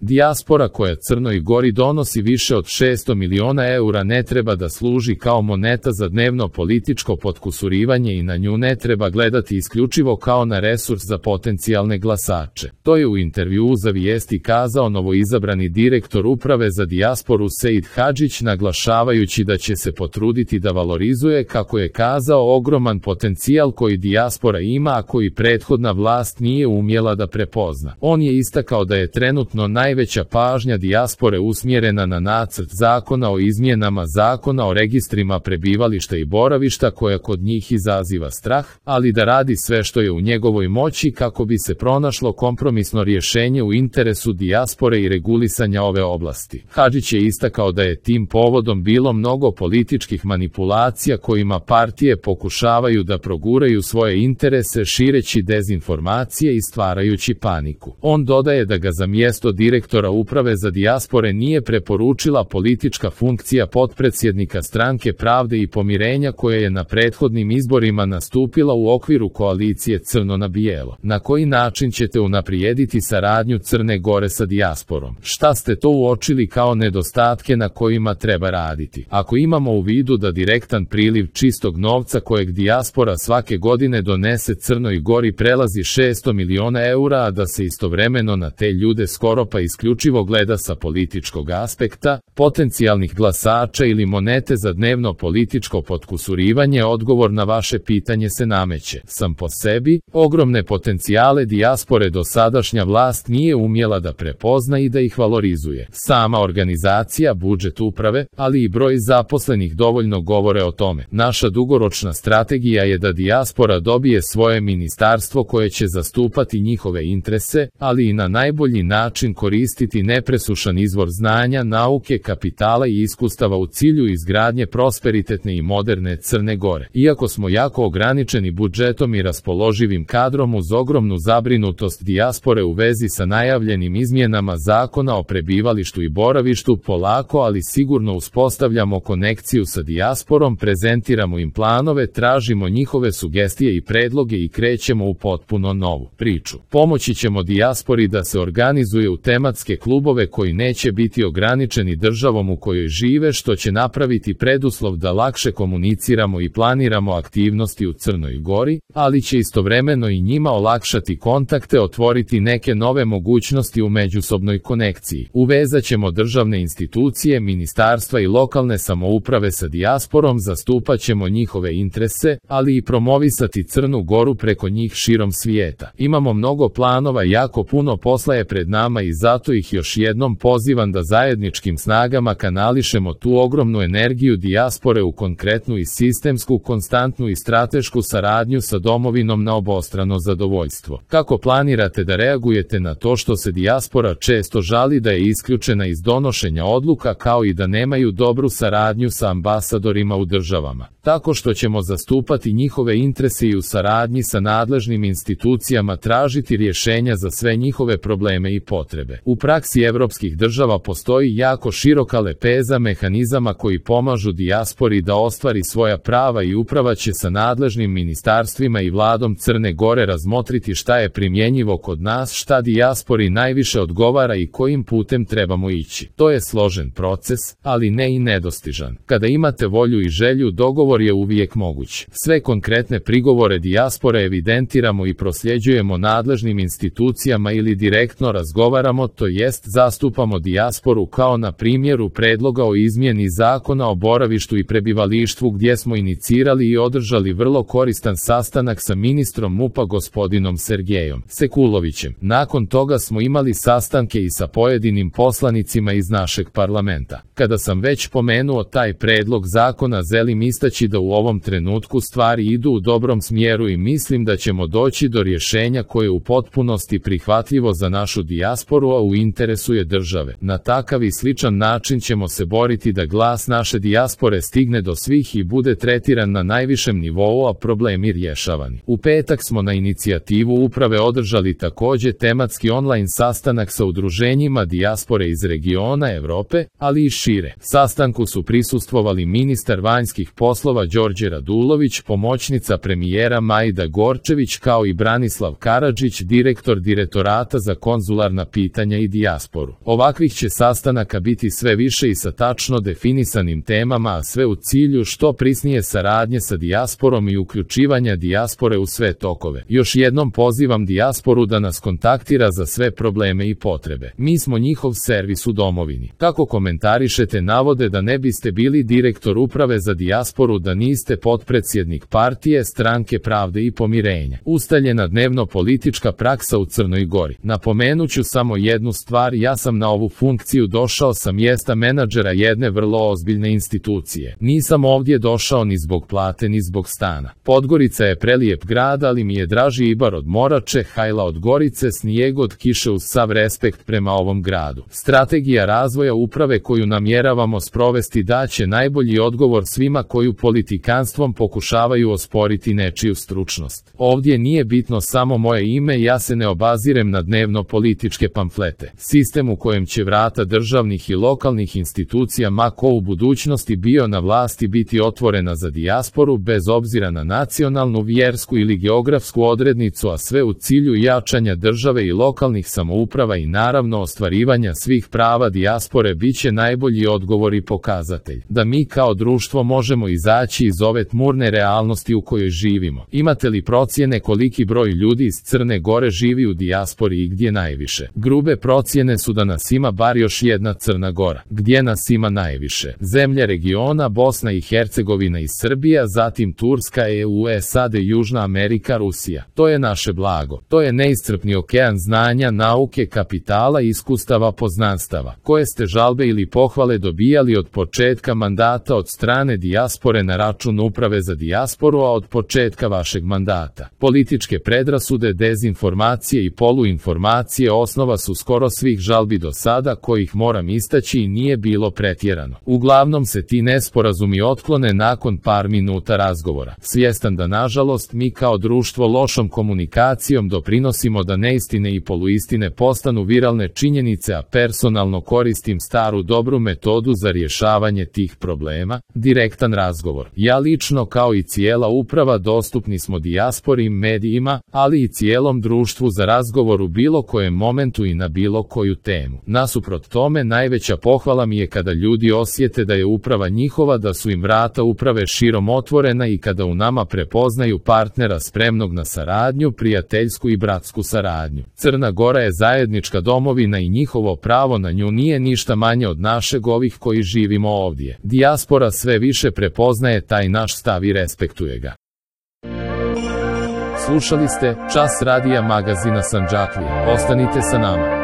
Dijaspora koja Crnoj Gori donosi više od 600 miliona eura ne treba da služi kao moneta za dnevno političko potkusurivanje i na nju ne treba gledati isključivo kao na resurs za potencijalne glasače. To je u intervjuu za Vijesti kazao novoizabrani direktor Uprave za dijasporu Sejid Hadžić, naglašavajući da će se potruditi da valorizuje, kako je kazao, ogroman potencijal koji dijaspora ima, a koji prethodna vlast nije umjela da prepozna. On je istakao da je trenutno najveća pažnja dijaspore usmjerena na nacrt zakona o izmjenama zakona o registrima prebivališta i boravišta, koja kod njih izaziva strah, ali da radi sve što je u njegovoj moći kako bi se pronašlo kompromisno rješenje u interesu dijaspore i regulisanja ove oblasti. Hadžić je istakao da je tim povodom bilo mnogo političkih manipulacija kojima partije pokušavaju da proguraju svoje interese šireći dezinformacije i stvarajući paniku. On dodaje da ga za mjesto direktora Uprave za dijaspore nije preporučila politička funkcija potpredsjednika Stranke pravde i pomirenja, koja je na prethodnim izborima nastupila u okviru koalicije Crno na bijelo. Na koji način ćete unaprijediti saradnju Crne Gore sa dijasporom? Šta ste to uočili kao nedostatke na kojima treba raditi? Ako imamo u vidu da direktan priliv čistog novca kojeg dijaspora svake godine donese Crnoj Gori prelazi 600 miliona eura, a da se istovremeno na te ljude skoro pa isključivo gleda sa političkog aspekta, potencijalnih glasača ili monete za dnevno političko potkusurivanje, odgovor na vaše pitanje se nameće. Sam po sebi, ogromne potencijale dijaspore dosadašnja vlast nije umjela da prepozna i da ih valorizuje. Sama organizacija, budžet uprave, ali i broj zaposlenih dovoljno govore o tome. Naša dugoročna strategija je da dijaspora dobije svoje ministarstvo koje će zastupati njihove interese, ali i na najbolji način koristiti nepresušan izvor znanja, nauke, kapitala i iskustava u cilju izgradnje prosperitetne i moderne Crne Gore. Iako smo jako ograničeni budžetom i raspoloživim kadrom, uz ogromnu zabrinutost dijaspore u vezi sa najavljenim izmjenama zakona o prebivalištu i boravištu, polako ali sigurno uspostavljamo konekciju sa dijasporom, prezentiramo im planove, tražimo njihove sugestije i predloge i krećemo u potpuno novu priču. Pomoći ćemo dijaspori da se organizuje u tematske klubove koji neće biti ograničeni državom u kojoj žive, što će napraviti preduslov da lakše komuniciramo i planiramo aktivnosti u Crnoj Gori, ali će istovremeno i njima olakšati kontakte, otvoriti neke nove mogućnosti u međusobnoj konekciji. Uvezat ćemo državne institucije, ministarstva i lokalne samouprave sa dijasporom, zastupat ćemo njihove interese, ali i promovisati Crnu Goru preko njih širom svijeta. Imamo mnogo planova, jako puno posla je pred nama i zato ih još jednom pozivam da zajedničkim snagama kanališemo tu ogromnu energiju dijaspore u konkretnu i sistemsku, konstantnu i stratešku saradnju sa domovinom na obostrano zadovoljstvo. Kako planirate da reagujete na to što se dijaspora često žali da je isključena iz donošenja odluka, kao i da nemaju dobru saradnju sa ambasadorima u državama? Tako što ćemo zastupati njihove interese i u saradnji sa nadležnim institucijama tražiti rješenja za sve njihove probleme i potrebe. U praksi evropskih država postoji jako široka lepeza mehanizama koji pomažu dijaspori da ostvari svoja prava i uprava će sa nadležnim ministarstvima i vladom Crne Gore razmotriti šta je primjenjivo kod nas, šta dijaspori najviše odgovara i kojim putem trebamo ići. To je složen proces, ali ne i nedostižan. Kada imate volju i želju, dogovor je uvijek moguć. Sve konkretne prigovore dijaspore evidentiramo i prosljeđujemo nadležnim institucijama ili direktno razgovaramo, to jest zastupamo dijasporu, kao na primjeru predloga o izmjeni zakona o boravištu i prebivalištvu, gdje smo inicirali i održali vrlo koristan sastanak sa ministrom MUP-a gospodinom Sergejom Sekulovićem. Nakon toga smo imali sastanke i sa pojedinim poslanicima iz našeg parlamenta. Kada sam već pomenuo taj predlog zakona, želim istaći da u ovom trenutku stvari idu u dobrom smjeru i mislim da ćemo doći do rješenja koje je u potpunosti prihvatljivo za našu dijasporu, a u interesu je države. Na takav i sličan način ćemo se boriti da glas naše dijaspore stigne do svih i bude tretiran na najvišem nivou, a problemi rješavani. U petak smo na inicijativu uprave održali također tematski online sastanak sa udruženjima dijaspore iz regiona Europe, ali i šire. Sastanku su prisustvovali ministar vanjskih poslova Đorđe Radulović, pomoćnica premijera Majda Gorčević, kao i Branislav Karadžić, direktor Direktorata za konzularna pitanja pitanja i dijasporu. Ovakvih će sastanaka biti sve više i sa tačno definisanim temama, a sve u cilju što prisnije saradnje sa dijasporom i uključivanja dijaspore u sve tokove. Još jednom pozivam dijasporu da nas kontaktira za sve probleme i potrebe. Mi smo njihov servis u domovini. Kako komentarišete navode da ne biste bili direktor uprave za dijasporu da niste potpredsjednik partije Stranke pravde i pomirenja? Ustaljena dnevno politička praksa u Crnoj Gori. Napomenuću samo jednu stvar, ja sam na ovu funkciju došao sa mjesta menadžera jedne vrlo ozbiljne institucije. Nisam ovdje došao ni zbog plate ni zbog stana. Podgorica je prelijep grad, ali mi je draži Ibar od Morače, Hajla od Gorice, snijeg od kiše, uz sav respekt prema ovom gradu. Strategija razvoja uprave koju namjeravamo sprovesti daće najbolji odgovor svima koju politikanstvom pokušavaju osporiti nečiju stručnost. Ovdje nije bitno samo moje ime, ja se ne obazirem na dnevno političke pamflete. Sistem u kojem će vrata državnih i lokalnih institucija ma ko u budućnosti bio na vlasti biti otvorena za dijasporu bez obzira na nacionalnu, vjersku ili geografsku odrednicu, a sve u cilju jačanja države i lokalnih samouprava i naravno ostvarivanja svih prava dijaspore biće najbolji odgovor i pokazatelj da mi kao društvo možemo izaći iz ove tmurne realnosti u kojoj živimo. Imate li procjene koliki broj ljudi iz Crne Gore živi u dijaspori i gdje najviše? Grube procjene su da nas ima bar još jedna Crna Gora. Gdje nas ima najviše? Zemlje regiona Bosna i Hercegovina i Srbija, zatim Turska, EU, SAD, Južna Amerika, Rusija. To je naše blago. To je neiscrpni okean znanja, nauke, kapitala i iskustava poznanstava. Koje ste žalbe ili pohvale dobijali od početka mandata od strane dijaspore na račun uprave za dijasporu, a od početka vašeg mandata? Političke predrasude, dezinformacije i poluinformacije osnova su skoro svih žalbi do sada, kojih moram istaći i nije bilo pretjerano. Uglavnom se ti nesporazumi otklone nakon par minuta razgovora. Svjestan da nažalost mi kao društvo lošom komunikacijom doprinosimo da neistine i poluistine postanu viralne činjenice, a personalno koristim staru dobru metodu za rješavanje tih problema, direktan razgovor. Ja lično kao i cijela uprava dostupni smo dijaspori i medijima, ali i cijelom društvu za razgovor u bilo kojem momentu i na bilo koju temu. Nasuprot tome, najveća pohvala mi je kada ljudi osjete da je uprava njihova, da su im vrata uprave širom otvorena i kada u nama prepoznaju partnera spremnog na saradnju, prijateljsku i bratsku saradnju. Crna Gora je zajednička domovina i njihovo pravo na nju nije ništa manje od našeg ovih koji živimo ovdje. Dijaspora sve više prepoznaje taj naš stav i respektuje ga. Slušali ste Čas radija magazina Sandžaklija. Ostanite sa nama.